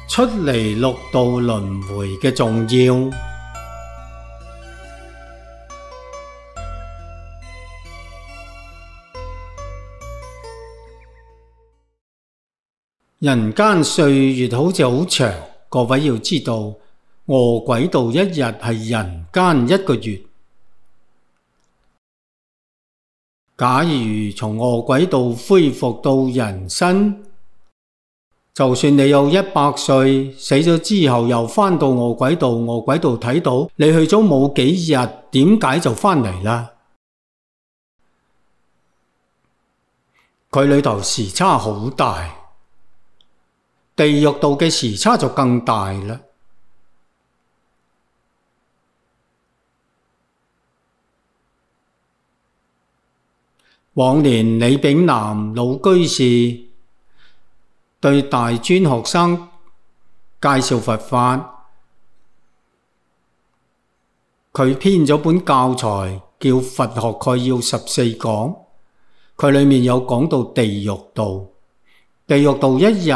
出離六道輪迴嘅重要。人間歲月好似好長，各位要知道，餓鬼道一日係人間一個月。假如從餓鬼道恢復到人身，就算你有100歲，死咗之後又返到餓鬼道，餓鬼道睇到你去咗冇幾日，點解就返嚟啦？佢裏頭時差好大，地獄道嘅時差就更大啦。往年李炳南老居士對大專學生介紹佛法，佢編咗本教材叫《佛學概要14講》，佢裏面有講到地獄道。地獄道一日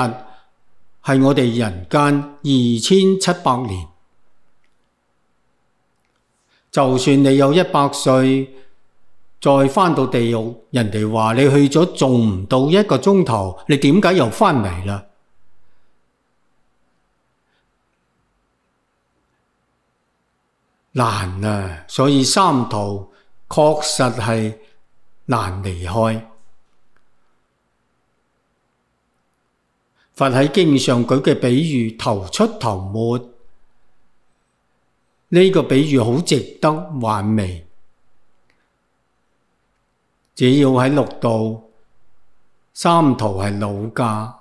係我哋人間2700年。就算你有100歲，再返到地獄，人哋話你去咗仲唔到1個鐘頭，你點解又返嚟啦？難啊，所以三途確實係難離開。佛喺經上舉嘅比喻頭出頭沒，呢個比喻好值得玩味。只要喺六道，三途係老家，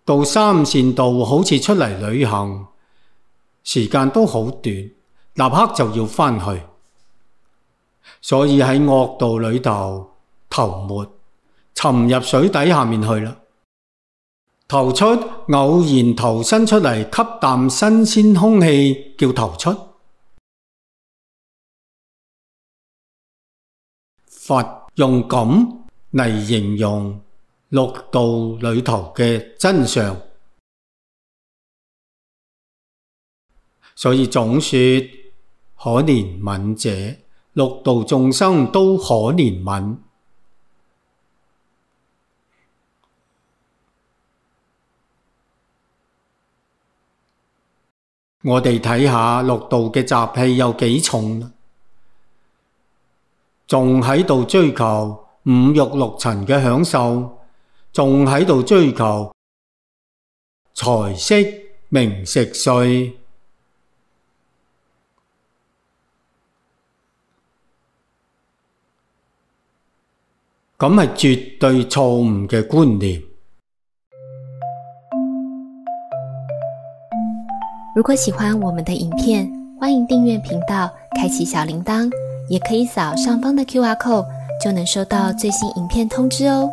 到三善道好似出嚟旅行，時間都好短，立刻就要返去。所以喺惡道裏頭，頭沒，沉入水底下面去啦。頭出，偶然投身出嚟吸啖新鮮空氣，叫頭出。佛用咁嚟形容六道裏頭嘅真相，所以總說可憐憫者，六道眾生都可憐憫。我哋睇下六道嘅習氣有幾重，仲喺度追求五欲六塵嘅享受，仲喺度追求財色名食睡，咁係絕對錯誤嘅觀念。如果喜歡我們的影片，歡迎訂閱頻道，開啟小鈴鐺，也可以掃上方的QR code，就能收到最新影片通知哦。